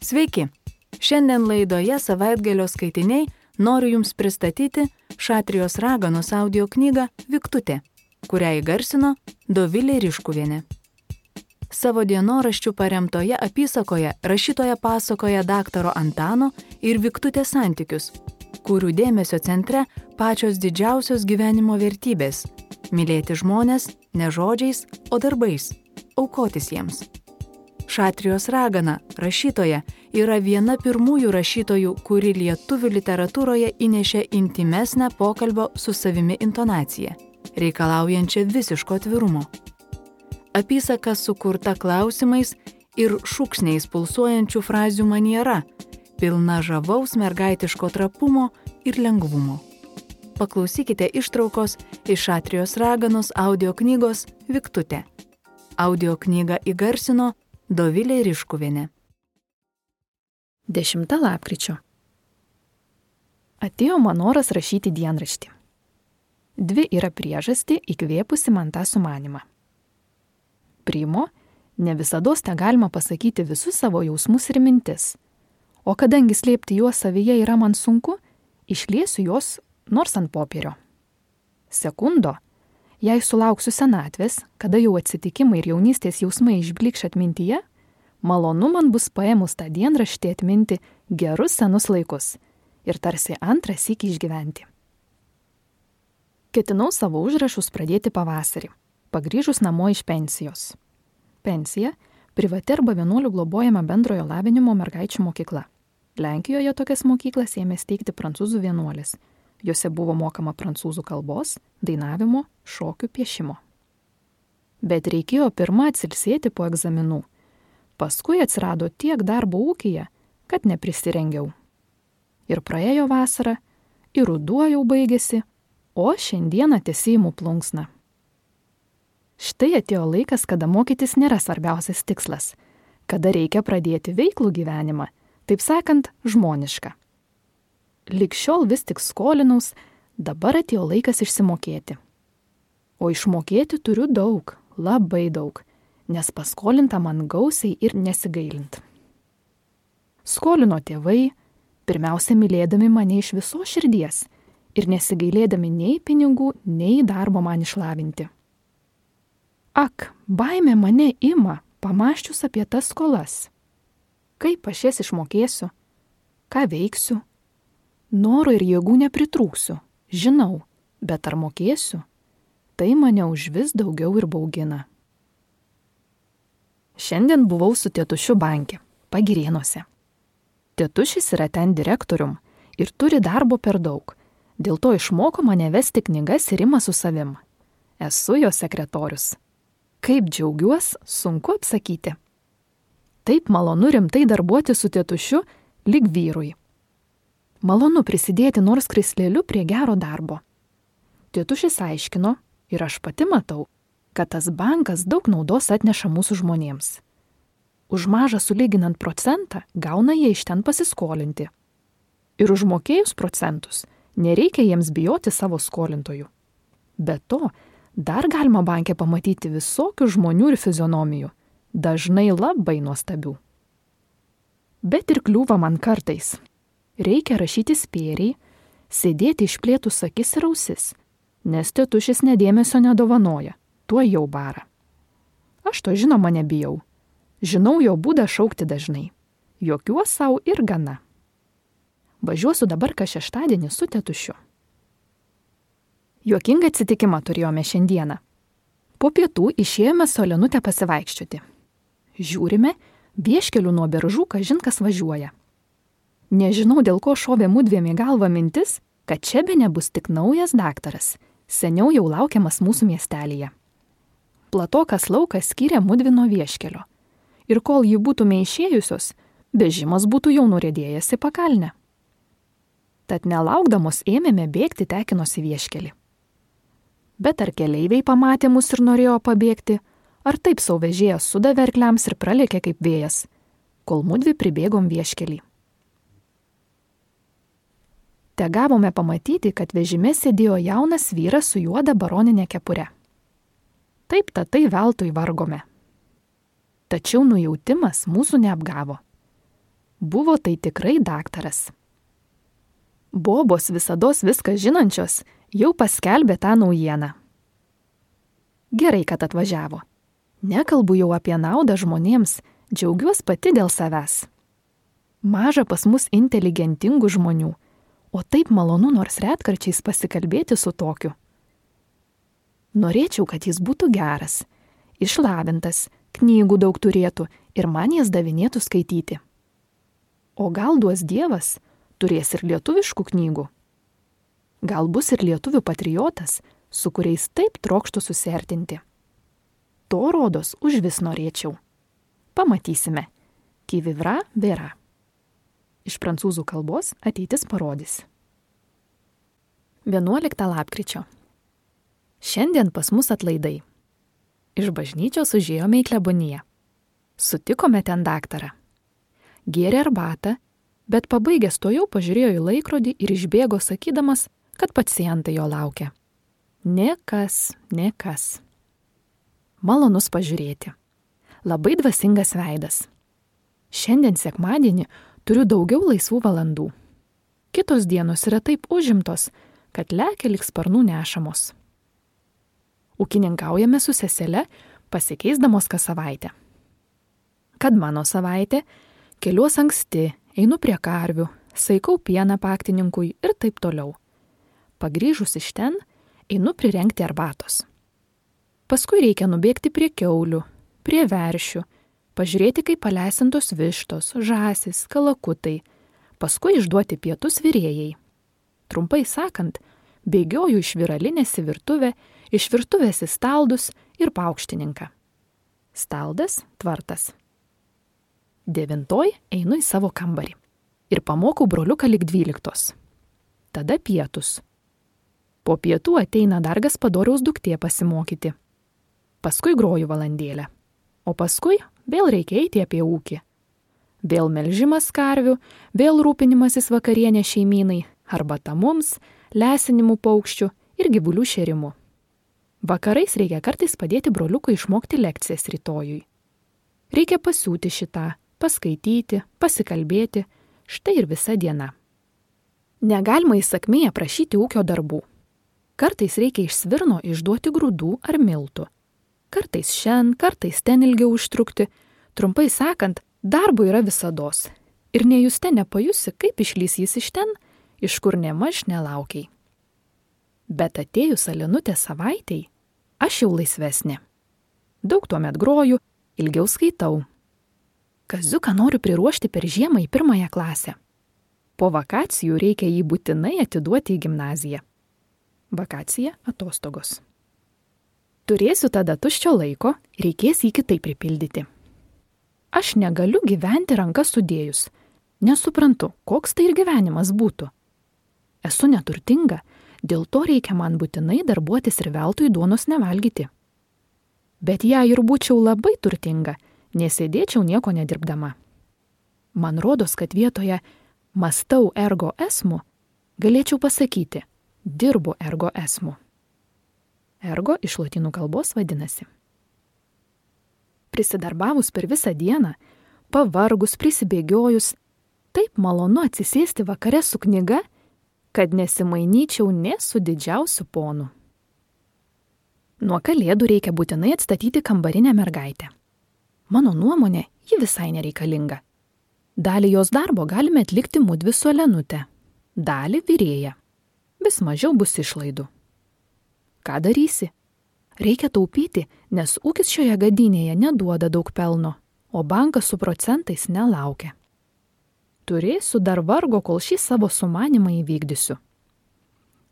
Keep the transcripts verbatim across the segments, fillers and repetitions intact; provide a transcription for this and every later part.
Sveiki! Šiandien laidoje Savaitgalio skaitiniai noriu Jums pristatyti Šatrijos raganos audio knygą Viktutė, kurią įgarsino Dovilė Riškuvienė. Savo dienoraščių paremtoje apysakoje rašytoja pasakoja daktaro Antano ir Viktutės santykius, kurių dėmesio centre pačios didžiausios gyvenimo vertybės – mylėti žmones ne žodžiais, o darbais, aukotis jiems. Šatrijos ragana, rašytoja, yra viena pirmųjų rašytojų, kuri lietuvių literatūroje įnešė intimesnę pokalbio su savimi intonaciją, reikalaujančią visiško atvirumo. Apysaka sukurta klausimais ir šūksniais pulsuojančių frazių maniera, pilna žavaus mergaitiško trapumo ir lengvumo. Paklausykite ištraukos iš Šatrijos raganos audio knygos Viktutė. Audio knygą įgarsino Dovilė Riškuvienė. dešimtą lapkričio. Atėjo man noras rašyti dienraštį. Dvi yra priežastį įkvėpusi man tą sumanimą. Primo, ne visados te galima pasakyti visus savo jausmus ir mintis, o kadangi slėpti juos savyje yra man sunku, išliesiu juos nors ant popierio. Sekundo, jei sulauksiu senatvės, kada jau atsitikimai ir jaunystės jausmai išblikš atmintyje, malonu man bus paėmus tą dienraštį atminti gerus senus laikus ir tarsi antrą sykį išgyventi. Ketinau savo užrašus pradėti pavasarį, pagrįžus namo iš pensijos. Pensija – privati arba vienuolių globojama bendrojo lavinimo mergaičių mokykla. Lenkijoje tokias mokyklas ėmė steigti prancūzų vienuolis. Jose buvo mokama prancūzų kalbos, dainavimo, šokių, piešimo. Bet reikėjo pirmą atsilsėti po egzaminų. Paskui atsirado tiek darbo ūkyje, kad neprisirengiau. Ir praėjo vasara, ir ruduo jau baigėsi, o šiandieną tesiimu plunksną. Štai atėjo laikas, kada mokytis nėra svarbiausias tikslas, kada reikia pradėti veiklų gyvenimą, taip sakant, žmonišką. Lig šiol vis tik skolinaus, dabar atėjo laikas išsimokėti. O išmokėti turiu daug, labai daug, nes paskolinta man gausiai ir nesigailint. Skolino tėvai, pirmiausia mylėdami mane iš visos širdies ir nesigailėdami nei pinigų, nei darbo man išlavinti. Ak, baimė mane ima, pamąsčius apie tas skolas. Kaip aš jas išmokėsiu? Ką veiksiu? Noro ir jėgų nepritrūksiu, žinau, bet ar mokėsiu? Tai mane užvis daugiau ir baugina. Šiandien buvau su tėtušiu banke, Pagirėnuose. Tėtušis yra ten direktorium ir turi darbo per daug, dėl to išmoko mane vesti knygas ir ima su savim. Esu jo sekretorius. Kaip džiaugiuos, sunku apsakyti. Taip malonu rimtai darbuoti su tėtušiu lyg vyrui. Malonu prisidėti nors krisleliu prie gero darbo. Tėtušis aiškino, ir aš pati matau, kad tas bankas daug naudos atneša mūsų žmonėms. Už mažą sulyginant procentą gauna jie iš ten pasiskolinti. Ir užmokėjus procentus nereikia jiems bijoti savo skolintojų. Be to, dar galima banke pamatyti visokių žmonių ir fizionomijų, dažnai labai nuostabių. Bet ir kliūva man kartais. Reikia rašyti spėriai, sėdėti išplėtus akis ir ausis, nes tėtušis nedėmesio nedovanoja, tuo jau bara. Aš to žinoma nebijau. Žinau jo būdą šaukti dažnai. Jokiuos savo ir gana. Važiuosiu dabar kas šeštadienį su tėtušiu. Juokingą atsitikimą turėjome šiandieną. Po pietų išėjome su Olenute pasivaikščioti. Žiūrime, vieškeliu nuo Beržų kažin kas važiuoja. Nežinau, dėl ko šovė mudviem į galvą mintis, kad čia bene bus tik naujas daktaras, seniau jau laukiamas mūsų miestelyje. Platokas laukas skyrė mudvi nuo vieškelio. Ir kol jį būtume išėjusios, vežimas būtų jau nurėdėjęs į pakalnę. Tad nelaukdamos ėmėme bėgti tekinos į vieškelį. Bet ar keleiviai pamatė mus ir norėjo pabėgti, ar taip sau vežėjas sudavė arkliams ir pralėkė kaip vėjas, kol mudvi pribėgom vieškelį. Te gavome pamatyti, kad vežime sėdėjo jaunas vyras su juoda baroninė kepure. Taip tatai veltui vargome. Tačiau nujautimas mūsų neapgavo. Buvo tai tikrai daktaras. Bobos visados viską žinančios jau paskelbė tą naujieną. Gerai, kad atvažiavo. Nekalbu jau apie naudą žmonėms, džiaugiuos pati dėl savęs. Maža pas mus inteligentingų žmonių, o taip malonu nors retkarčiais pasikalbėti su tokiu. Norėčiau, kad jis būtų geras, išlavintas, knygų daug turėtų ir man jas davinėtų skaityti. O gal duos Dievas, turės ir lietuviškų knygų. Gal bus ir lietuvių patriotas, su kuriais taip trokštų susiartinti. To rodos užvis norėčiau. Pamatysime. Qui vivra, verra. Iš prancūzų kalbos ateitis parodys. vienuoliktą lapkričio. Šiandien pas mus atlaidai. Iš bažnyčios užėjome į kleboniją. Sutikome ten daktarą. Gėrė arbatą, bet pabaigęs to jau pažiūrėjo į laikrodį ir išbėgo sakydamas, kad pacientai jo laukia. Nė kas, nė kas. Malonus pažiūrėti. Labai dvasingas veidas. Šiandien sekmadienį turiu daugiau laisvų valandų. Kitos dienos yra taip užimtos, kad lekia lyg sparnų nešamos. Ūkininkaujame su sesele, pasikeisdamos kas savaitę. Kad mano savaitė, keliuos anksti, einu prie karvių, saikau pieną paktininkui ir taip toliau. Pagrįžus iš ten, einu prirengti arbatos. Paskui reikia nubėgti prie kiaulių, prie veršių, pažiūrėti, kaip paleisintos vištos, žąsis, kalakutai, paskui išduoti pietus virėjai. Trumpai sakant, bėgioju iš viralinės į virtuvę, iš virtuvės į staldus ir paaukštininką. Staldas – tvartas. Devintoj einu į savo kambarį ir pamokau broliuką lig dvyliktos. Tada pietus. Po pietų ateina dar Gaspadoriaus duktė pasimokyti. Paskui groju valandėlę. O paskui vėl reikia eiti apie ūkį. Vėl melžimas karvių, vėl rūpinimasis vakarienė šeimynai, arbata mums, lesinimų paukščių ir gyvulių šėrimu. Vakarais reikia kartais padėti broliukui išmokti lekcijas rytojui. Reikia pasiūti šitą, paskaityti, pasikalbėti, štai ir visa diena. Negalima įsakmiai aprašyti ūkio darbų. Kartais reikia iš svirno išduoti grūdų ar miltų. Kartais šen, kartais ten ilgiau užtrukti. Trumpai sakant, darbo yra visados. Ir nejuste nepajusi, kaip išlys jis iš ten, iš kur nemaž nelaukiai. Bet atėjus Alinutės savaitei, aš jau laisvesnė. Daug tuomet groju, ilgiau skaitau. Kaziuką noriu priruošti per žiemą į pirmąją klasę. Po vakacijų reikia jį būtinai atiduoti į gimnaziją. Vakacija – atostogos. Turėsiu tada tuščio laiko, reikės jį kitaip pripildyti. Aš negaliu gyventi rankas sudėjus. Nesuprantu, koks tai ir gyvenimas būtų. Esu neturtinga, dėl to reikia man būtinai darbuotis ir veltui duonos nevalgyti. Bet jei ir būčiau labai turtinga, nesėdėčiau nieko nedirbdama. Man rodos, kad vietoje mąstau ergo esmu, galėčiau pasakyti, dirbu ergo esmu. Ergo iš lotynų kalbos vadinasi. Prisidarbavus per visą dieną, pavargus, prisibėgiojus, taip malonu atsisėsti vakare su knyga, kad nesimainyčiau nė su didžiausiu ponu. Nuo kalėdų reikia būtinai atstatyti kambarinę mergaitę. Mano nuomonė, ji visai nereikalinga. Dalį jos darbo galime atlikti mudvi su Alenute, dalį virėja. Vis mažiau bus išlaidų. Ką darysi? Reikia taupyti, nes ūkis šioje gadynėje neduoda daug pelno, o bankas su procentais nelaukia. Turėsiu dar vargo, kol šį savo sumanimą įvykdysiu.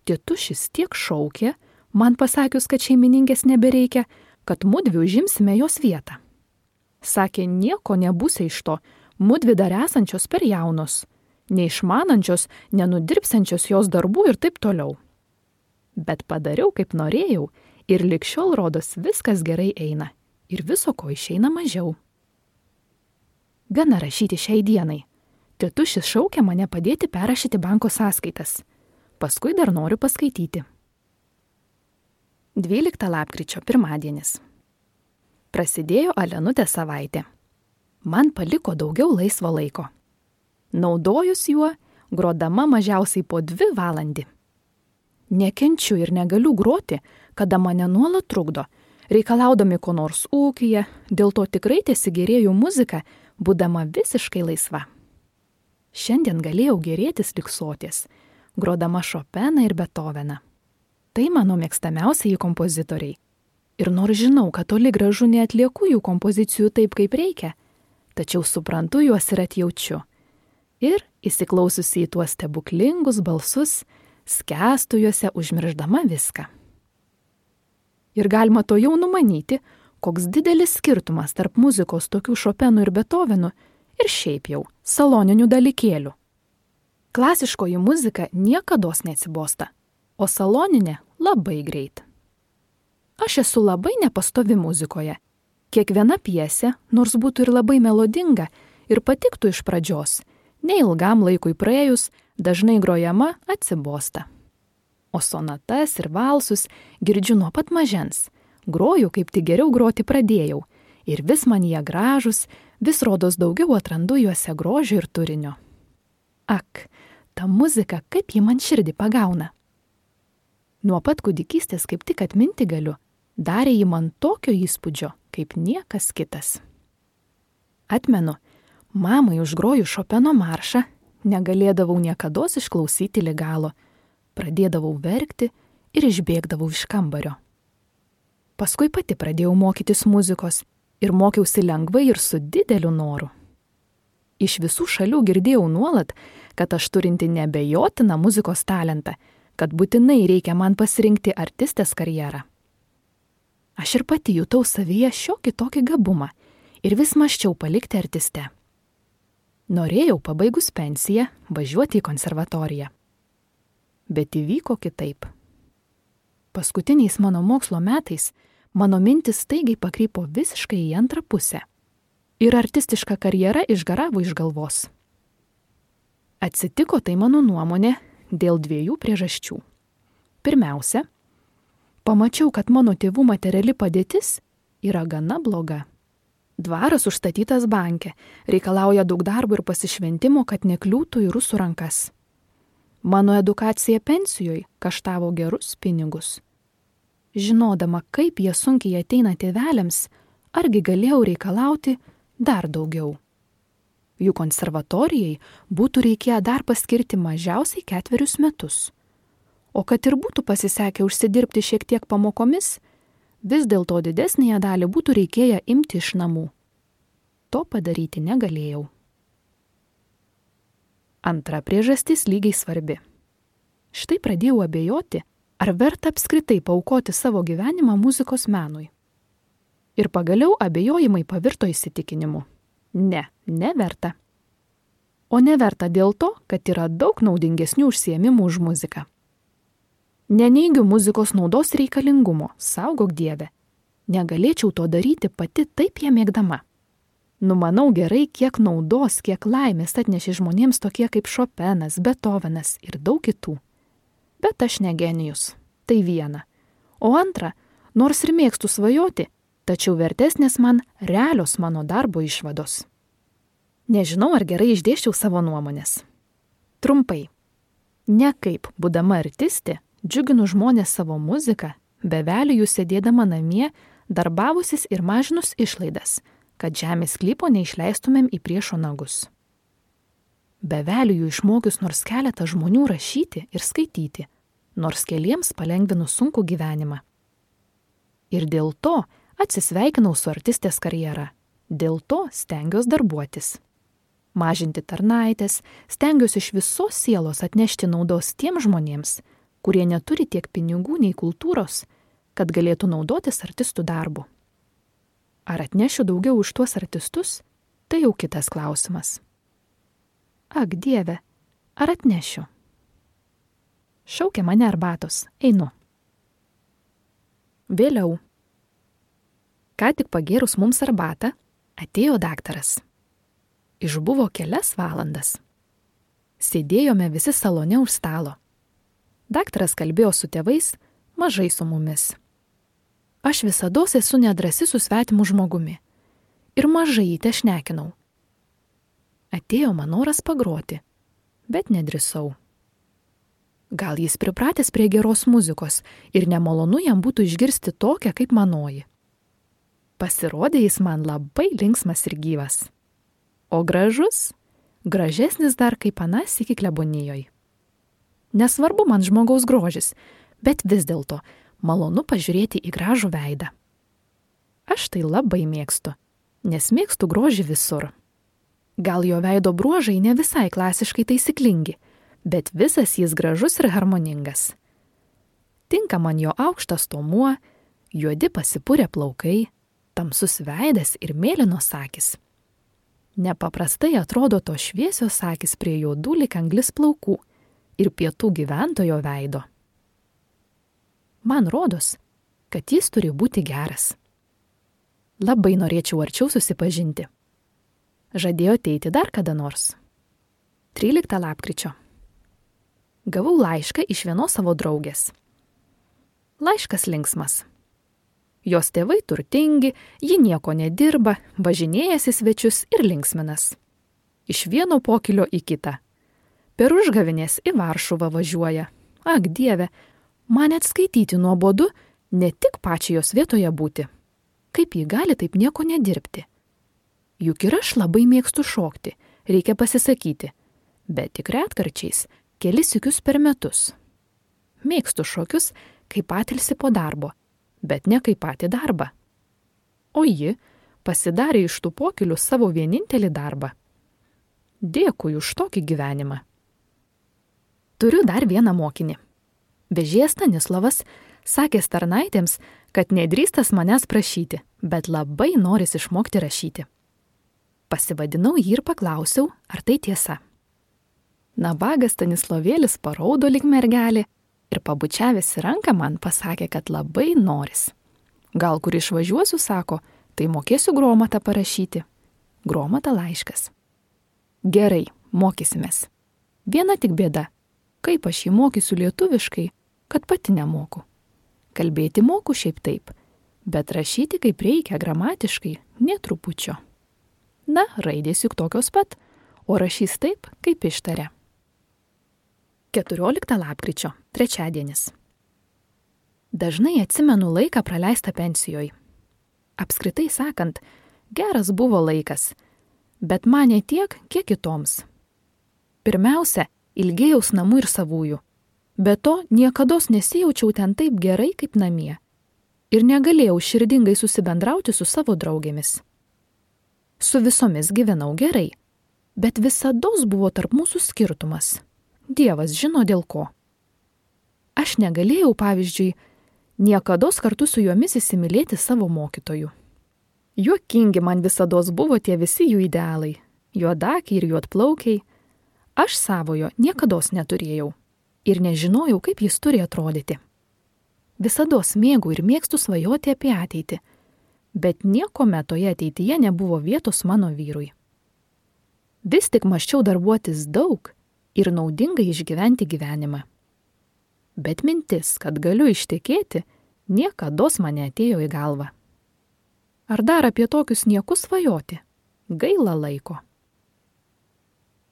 Tėtušis tiek šaukė, man pasakius, kad šeimininkės nebereikia, kad mudvi užimsime jos vietą. Sakė, nieko nebūsia iš to, mudvi dar esančios per jaunos, neišmanančios, nenudirbsiančios jos darbų ir taip toliau. Bet padariau, kaip norėjau, ir lig šiol rodos viskas gerai eina, ir viso ko išeina mažiau. Gana rašyti šiai dienai. Tėtušis šaukia mane padėti perrašyti banko sąskaitas. Paskui dar noriu paskaityti. dvyliktą lapkričio pirmadienis. Prasidėjo Alenutės savaitė. Man paliko daugiau laisvo laiko. Naudojus juo, grodama mažiausiai po dvi valandį. Nekenčiu ir negaliu groti, kada mane nuolat trukdo, reikalaudami ko nors ūkyje, dėl to tikrai tesigėrėjau muziką, būdama visiškai laisva. Šiandien galėjau gėrėtis liksoties, grodama Šopeną ir Betoveną. Tai mano mėgstamiausiai kompozitoriai. Ir nors žinau, kad toli gražu neatlieku jų kompozicijų taip, kaip reikia, tačiau suprantu juos ir atjaučiu. Ir, įsiklausiusi į tuos stebuklingus balsus, skęstu juose užmirždama viską. Ir galima to jau numanyti, koks didelis skirtumas tarp muzikos tokių Šopenų ir Betovenų ir šiaip jau saloninių dalykėlių. Klasiškoji muzika niekados neatsibosta, o saloninė labai greit. Aš esu labai nepastovi muzikoje. Kiekviena pjesė, nors būtų ir labai melodinga ir patiktų iš pradžios, neilgam laikui praėjus, dažnai grojama atsibosta. O sonatas ir valsus girdžiu nuo pat mažens. Groju, kaip tik geriau groti pradėjau. Ir vis man jie gražus, vis rodos daugiau atrandu juose grožio ir turinio. Ak, ta muzika, kaip ji man širdį pagauna. Nuo pat kūdikystės kaip tik atminti galiu, darė ji man tokio įspūdžio, kaip niekas kitas. Atmenu, mamai užgroju Šopeno maršą, negalėdavau niekados išklausyti lig galo, pradėdavau verkti ir išbėgdavau iš kambario. Paskui pati pradėjau mokytis muzikos ir mokiausi lengvai ir su dideliu noru. Iš visų šalių girdėjau nuolat, kad aš turinti neabejotiną muzikos talentą, kad būtinai reikia man pasirinkti artistės karjerą. Aš ir pati jutau savyje šiokį tokį gabumą ir vis mąsčiau palikti artistę. Norėjau pabaigus pensiją važiuoti į konservatoriją. Bet įvyko kitaip. Paskutiniais mano mokslo metais mano mintis staigiai pakrypo visiškai į antrą pusę. Ir artistiška karjera išgaravo iš galvos. Atsitiko tai mano nuomonė dėl dviejų priežasčių. Pirmiausia, pamačiau, kad mano tėvų materiali padėtis yra gana bloga. Dvaras užstatytas banke, reikalauja daug darbo ir pasišventimo, kad nekliūtų į rusų rankas. Mano edukacija pensijoje kaštavo gerus pinigus. Žinodama, kaip jie sunkiai ateina tėveliams, argi galėjau reikalauti dar daugiau. Jų konservatorijai būtų reikėję dar paskirti mažiausiai ketverius metus. O kad ir būtų pasisekę užsidirbti šiek tiek pamokomis, vis dėlto didesnėje dalį būtų reikėję imti iš namų. To padaryti negalėjau. Antra priežastis lygiai svarbi. Štai pradėjau abejoti, ar verta apskritai paaukoti savo gyvenimą muzikos menui. Ir pagaliau abejojimai pavirto įsitikinimu. Ne, neverta. O neverta dėl to, kad yra daug naudingesnių užsiėmimų už muziką. Neneigiu muzikos naudos reikalingumo, saugok Dieve. Negalėčiau to daryti pati taip ją mėgdama. Numanau gerai, kiek naudos, kiek laimės atnešė žmonėms tokie kaip Šopenas, Betovenas ir daug kitų. Bet aš ne genijus. Tai viena. O antra, nors ir mėgstu svajoti, tačiau vertesnės man realios mano darbo išvados. Nežinau, ar gerai išdėščiau savo nuomonės. Trumpai. Ne kaip, būdama artistė, džiuginu žmonės savo muziką, beveliu jų sėdėdama namie, darbavusis ir mažinus išlaidas, kad žemės sklypo neišleistumėm į priešo nagus. Beveliu jų išmokius nors keletą žmonių rašyti ir skaityti, nors keliems palengvinu sunkų gyvenimą. Ir dėl to atsisveikinau su artistės karjera. Dėl to stengiuosi darbuotis. Mažinti tarnaitės, stengiuosi iš visos sielos atnešti naudos tiems žmonėms, kurie neturi tiek pinigų nei kultūros, kad galėtų naudotis artistų darbu. Ar atnešiu daugiau už tuos artistus, tai jau kitas klausimas. Ak, Dieve, ar atnešiu? Šaukia mane arbatos, einu. Vėliau. Ką tik pagėrus mums arbatą, atėjo daktaras. Išbuvo kelias valandas. Sėdėjome visi salone už stalo. Daktaras kalbėjo su tėvais, mažai su mumis. Aš visados esu nedrasi su svetimu žmogumi ir mažai jį tešnekinau. Atėjo man noras pagroti, bet nedrįsau. Gal jis pripratęs prie geros muzikos ir nemalonu jam būtų išgirsti tokią kaip manoji. Pasirodė jis man labai linksmas ir gyvas. O gražus, gražesnis dar kaip anas iki klebonijoj. Nesvarbu man žmogaus grožis, bet vis dėlto malonu pažiūrėti į gražų veidą. Aš tai labai mėgstu, nes mėgstu grožį visur. Gal jo veido bruožai ne visai klasiškai taisyklingi, bet visas jis gražus ir harmoningas. Tinka man jo aukštas tomuo, juodi pasipurę plaukai, tamsus veidas ir mėlynos akys. Nepaprastai atrodo to šviesios akys prie juodų lyg anglis plaukų ir pietų gyventojo veido. Man rodos, kad jis turi būti geras. Labai norėčiau arčiau susipažinti. Žadėjo ateiti dar kada nors. tryliktą lapkričio. Gavau laišką iš vienos savo draugės. Laiškas linksmas. Jos tėvai turtingi, ji nieko nedirba, važinėjasi svečius ir linksminas. Iš vieno pokylio į kitą. Per užgavėnės į Varšuvą važiuoja. Ak, Dieve, man net skaityti nuobodu, ne tik pačiai jos vietoje būti. Kaip ji gali taip nieko nedirbti? Juk ir aš labai mėgstu šokti, reikia pasisakyti, bet tik retkarčiais, kelis sykius per metus. Mėgstu šokius, kaip atilsi po darbo, bet ne kaip patį darbą. O ji pasidarė iš tų pokylių savo vienintelį darbą. Dėkui už tokį gyvenimą. Turiu dar vieną mokinį. Vežėjas Stanislavas sakė tarnaitėms, kad nedrįstas manęs prašyti, bet labai noris išmokti rašyti. Pasivadinau jį ir paklausiau, ar tai tiesa. Nabagas Stanislovėlis paraudo lyg mergelė ir pabučiavęs į ranką man pasakė, kad labai noris. Gal kur išvažiuosiu, sako, tai mokėsiu gromatą parašyti. Gromata laiškas. Gerai, mokysimės. Viena tik bėda. Kaip aš jį mokysiu lietuviškai, kad pati nemoku. Kalbėti moku šiaip taip, bet rašyti kaip reikia gramatiškai nė trupučio. Na, raidės juk tokios pat, o rašys taip, kaip ištaria. keturioliktą lapkričio, trečiadienis. Dažnai atsimenu laiką praleistą pensijoje. Apskritai sakant, geras buvo laikas, bet man ne tiek, kiek kitoms. Pirmiausia, ilgėjaus namų ir savųjų. Be to, niekados nesijaučiau ten taip gerai kaip namie. Ir negalėjau širdingai susibendrauti su savo draugėmis. Su visomis gyvenau gerai, bet visados buvo tarp mūsų skirtumas. Dievas žino dėl ko. Aš negalėjau, pavyzdžiui, niekados kartu su jomis įsimylėti savo mokytojų. Juokingi man visados buvo tie visi jų idealai, juodakiai ir juodplaukiai. Aš savojo niekados neturėjau ir nežinojau, kaip jis turi atrodyti. Visados mėgau ir mėgstu svajoti apie ateitį, bet niekuomet toje ateityje nebuvo vietos mano vyrui. Vis tik maščiau darbuotis daug ir naudingai išgyventi gyvenimą. Bet mintis, kad galiu ištekėti, niekados man neatėjo į galvą. Ar dar apie tokius niekus svajoti? Gaila laiko.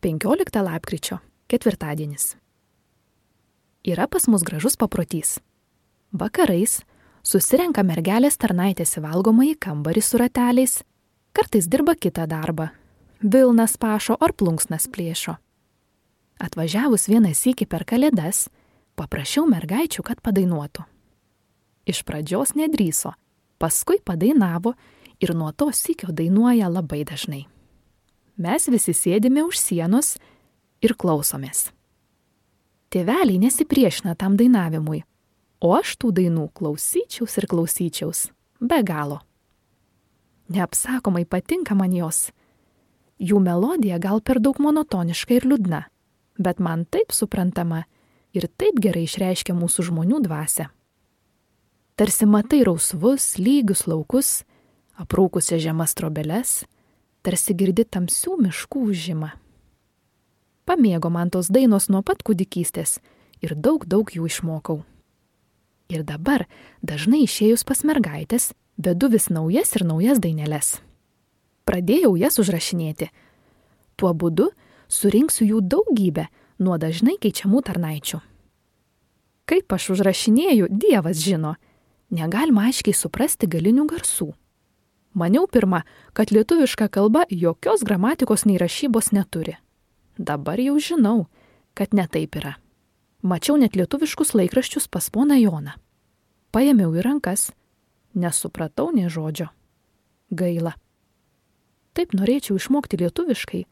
penkioliktą lapkričio, ketvirtadienis. Yra pas mus gražus paprotys. Vakarais susirenka mergelės tarnaitės į valgomąjį kambarį su rateliais, kartais dirba kitą darbą, vilnas pašo ar plunksnas plėšo. Atvažiavus vieną sykį per kalėdas, paprašiau mergaičių, kad padainuotų. Iš pradžios nedrįso, paskui padainavo ir nuo to sykio dainuoja labai dažnai. Mes visi sėdime už sienos ir klausomės. Tėveliai nesipriešina tam dainavimui, o aš tų dainų klausyčiaus ir klausyčiaus, be galo. Neapsakomai patinka man jos. Jų melodija gal per daug monotoniška ir liūdna, bet man taip suprantama ir taip gerai išreiškia mūsų žmonių dvasią. Tarsi matai rausvus, lygius laukus, aprūkusias žemas trobeles, tarsi girdi tamsių miškų ūžimą. Pamėgo man tos dainos nuo pat kūdikystės ir daug daug jų išmokau. Ir dabar, dažnai išėjus pas mergaitės, vedu vis naujas ir naujas daineles. Pradėjau jas užrašinėti. Tuo būdu surinksiu jų daugybę nuo dažnai keičiamų tarnaičių. Kaip aš užrašinėju, Dievas žino. Negalima aiškiai suprasti galinių garsų. Maniau pirma, kad lietuviška kalba jokios gramatikos nei rašybos neturi. Dabar jau žinau, kad ne taip yra. Mačiau net lietuviškus laikraščius pas poną Joną. Paėmiau į rankas, nesupratau nė žodžio. Gaila. Taip norėčiau išmokti lietuviškai,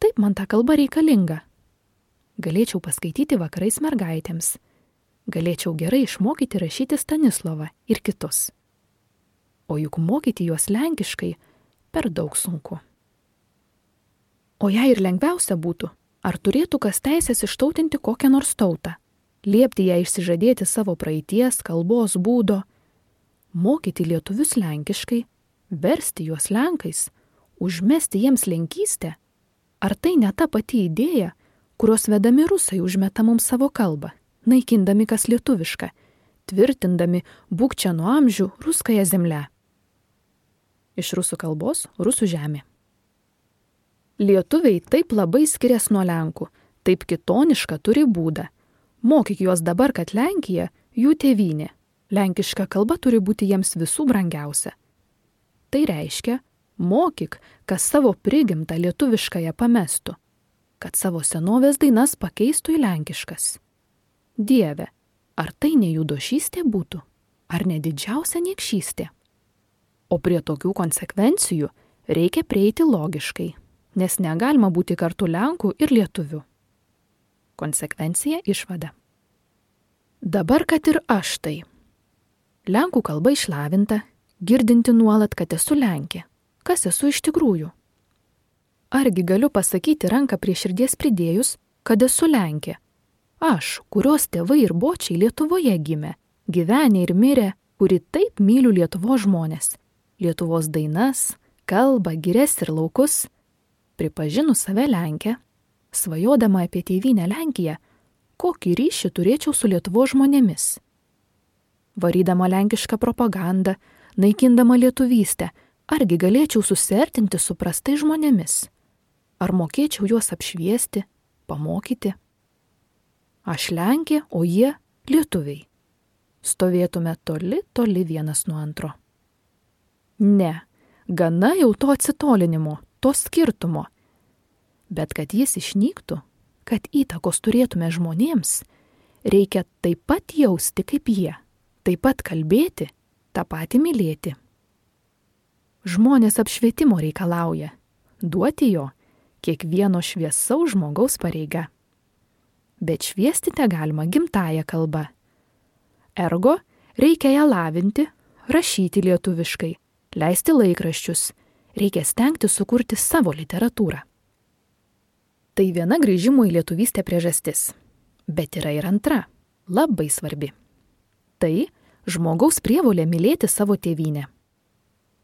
taip man ta kalba reikalinga. Galėčiau paskaityti vakarais mergaitėms. Galėčiau gerai išmokyti rašyti Stanislovą ir kitus. O juk mokyti juos lenkiškai per daug sunku. O jei ir lengviausia būtų, ar turėtų kas teisės ištautinti kokią nors tautą, liepti ją išsižadėti savo praeities, kalbos būdo, mokyti lietuvius lenkiškai, versti juos lenkais, užmesti jiems lenkystę, ar tai ne ta pati idėja, kurios vedami rusai užmeta mums savo kalbą, naikindami kas lietuviška, tvirtindami būk čia nuo amžių ruskąją zemlę. Iš rusų kalbos rusų žemė. Lietuviai taip labai skiriasi nuo lenkų, taip kitonišką turi būdą. Mokyk juos dabar, kad Lenkija jų tėvynė. Lenkiška kalba turi būti jiems visų brangiausia. Tai reiškia, mokyk, kas savo prigimtą lietuviškąją pamestų, kad savo senovės dainas pakeistų į lenkiškas. Dieve, ar tai ne jų došystė būtų, ar ne didžiausia niekšystė? O prie tokių konsekvencijų reikia prieiti logiškai, nes negalima būti kartu lenkų ir lietuvių. Konsekvencija išvada. Dabar, kad ir aš tai. Lenkų kalba išlavinta, girdinti nuolat, kad esu lenkė. Kas esu iš tikrųjų? Argi galiu pasakyti ranką prie širdies pridėjus, kad esu lenkė? Aš, kurios tėvai ir bočiai Lietuvoje gimė, gyvenė ir mirė, kuri taip myliu Lietuvos žmonės. Lietuvos dainas, kalbą, girias ir laukus, pripažinu save lenkę, svajodama apie tėvynę Lenkiją, kokį ryšį turėčiau su Lietuvos žmonėmis. Varydama lenkišką propagandą, naikindama lietuvystę, argi galėčiau susiartinti su prastai žmonėmis? Ar mokėčiau juos apšviesti, pamokyti? Aš lenkė, o jie lietuviai. Stovėtume toli, toli vienas nuo antro. Ne, gana jau to atsitolinimo, to skirtumo. Bet kad jis išnyktų, kad įtakos turėtume žmonėms, reikia taip pat jausti kaip jie, taip pat kalbėti, tą patį mylėti. Žmonės apšvietimo reikalauja, duoti jo kiekvieno šviesaus žmogaus pareiga. Bet šviesti te galima gimtąją kalbą. Ergo, reikia ją lavinti, rašyti lietuviškai, leisti laikraščius, reikia stengti sukurti savo literatūrą. Tai viena grįžimo į lietuvystę priežastis. Bet yra ir antra, labai svarbi. Tai žmogaus prievolė mylėti savo tėvynę.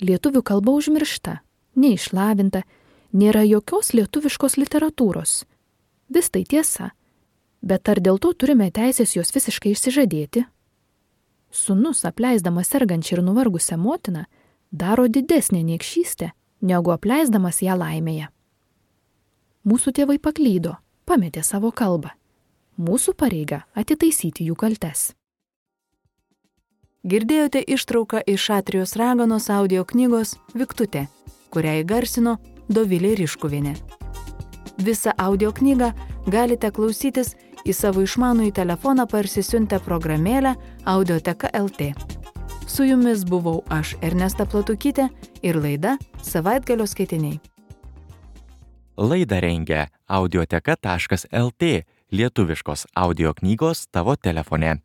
Lietuvių kalba užmiršta, neišlavinta, nėra jokios lietuviškos literatūros. Vis tai tiesa, bet ar dėl to turime teisės jos visiškai išsižadėti? Sūnus, apleisdamas sergančią ir nuvargusią motiną, daro didesnę niekšystę, negu apleisdamas ją laimėje. Mūsų tėvai paklydo, pametė savo kalbą. Mūsų pareiga atitaisyti jų kaltes. Girdėjote ištrauką iš Šatrijos raganos audio knygos Viktutė, kurią įgarsino Dovilė Riškuvienė. Visą audio knygą galite klausytis į savo išmanųjį telefoną parsisiuntę programėlę Audioteka L T. Su jumis buvau aš, Ernesta Platukytė, ir laida Savaitgalio skaitiniai. Laidą rengia audioteka taškas L T, lietuviškos audio knygos tavo telefone.